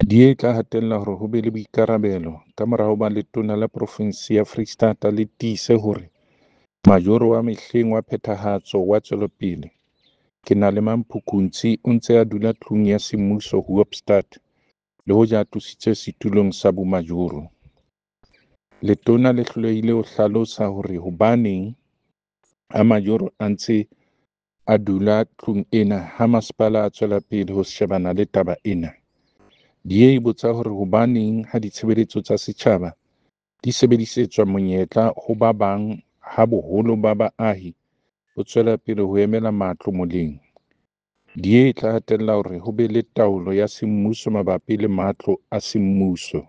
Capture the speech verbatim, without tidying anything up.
D A e tla hatella hore ho be le boikarabelo kamora hoba letona la profinse ya Freistata le tiise hore majoro wa mehleng wa phethahatso wa tswelopele, Kenalemang Phukuntsi o ntse a dula tlung ya semmuso Hoopstad le hoja a tlositswe setulong sa bomajoro. Letona le hlolehile ho hlalosa hore hobaneng ha majoro a ntse a dula tlung ena ha masepala a tswela pele ho shebana le taba ena. D A e botsa hore hobaneng ha ditshebeletso tsa setjhaba di sebedisetswa monyetla ho ba bang ha boholo ba baahi bo tswela pele ho emela matlo moleng. D A e tla hatella hore ho be le taolo ya semmuso mabapi le matlo a semmuso.